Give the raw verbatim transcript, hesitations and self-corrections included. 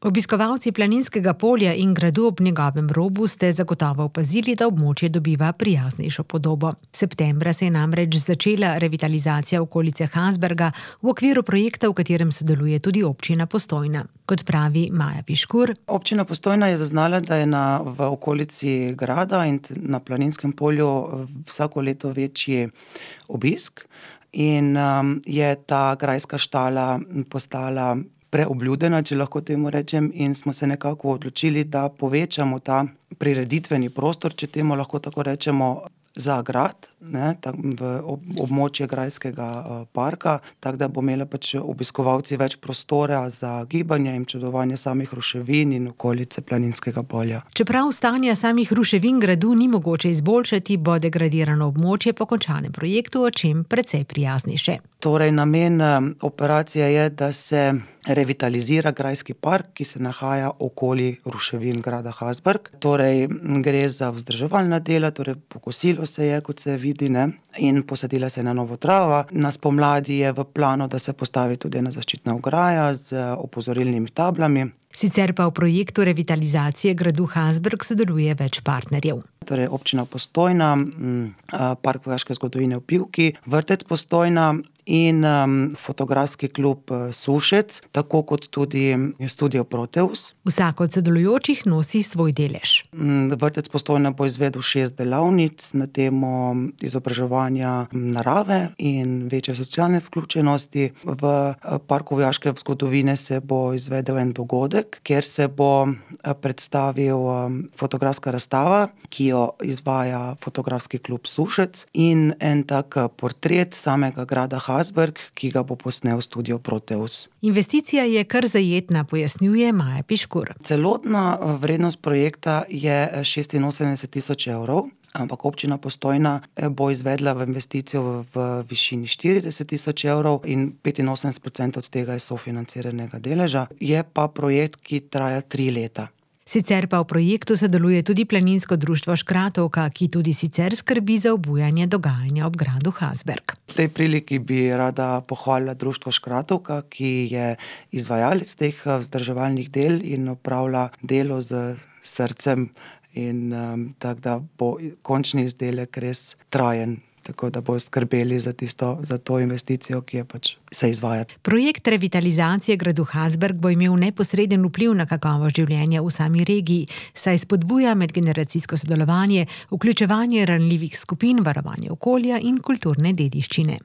Obiskovalci Planinskega polja in gradu ob njegovem robu ste zagotovo opazili, da območje dobiva prijaznejšo podobo. Septembra se je namreč začela revitalizacija okolice Hasberga v okviru projekta, v katerem sodeluje tudi občina Postojna. Kot pravi Maja Piškur. Občina Postojna je zaznala, da je na, v okolici grada in na Planinskem polju vsako leto večji obisk in um, je ta grajska štala postala preobljudena, če lahko temu rečem, in smo se nekako odločili, da povečamo ta prireditveni prostor, če temu lahko tako rečemo, za grad, ne, v območje grajskega parka, tako da bo imela pač obiskovalci več prostora za gibanje in občudovanje samih ruševin in okolice Planinskega polja. Čeprav stanja samih ruševin gradu ni mogoče izboljšati, bo degradirano območje po končanem projektu o čem precej prijaznejše. Torej, namen operacije je, da se revitalizira grajski park, ki se nahaja okoli ruševin grada Hasberg. Torej, gre za vzdrževalna dela, torej pokosilo se je, kot se vidi, ne, in posadila se je na novo trava. Na spomladi je v planu, da se postavi tudi ena zaščitna ograja z opozorilnimi tablami. Sicer pa v projektu revitalizacije gradu Hasberg sodeluje več partnerjev. Torej, občina Postojna, Park vojaške zgodovine v Pivki, Vrtec Postojna in um, fotografski klub Sušec, tako kot tudi studio Proteus. Vsak od sodelujočih nosi svoj delež. Vrtec Postojna bo izvedel šest delavnic na temo izobraževanja narave in večje socialne vključenosti. V Parku vojaške zgodovine se bo izvedel en dogodek, kjer se bo predstavil fotografska razstava, ki jo izvaja fotografski klub Sušec, in en tak portret samega grada Hasberg, ki ga bo posnel studio Proteus. Investicija je kar zajetna, pojasnjuje Maja Piškur. Celotna vrednost projekta je šestinosemdeset tisoč evrov, ampak občina Postojna bo izvedla v investicijo v, v višini štirideset tisoč evrov in petinosemdeset procentov od tega je sofinanciranega deleža. Je pa projekt, ki traja tri leta. Sicer pa v projektu sodeluje tudi Planinsko društvo Škratovka, ki tudi sicer skrbi za obujanje dogajanja ob gradu Hasberg. V tej priliki bi rada pohvalila društvo Škratovka, ki je izvajalec teh vzdrževalnih del in opravlja delo z srcem in um, tako da bo končni izdelek res trajen. Tako da bo skrbeli za, tisto, za to investicijo, ki je pač se izvaja. Projekt revitalizacije gradu Hasberg bo imel neposreden vpliv na kakovost življenja v sami regiji, saj spodbuja medgeneracijsko sodelovanje, vključevanje ranljivih skupin, varovanje okolja in kulturne dediščine.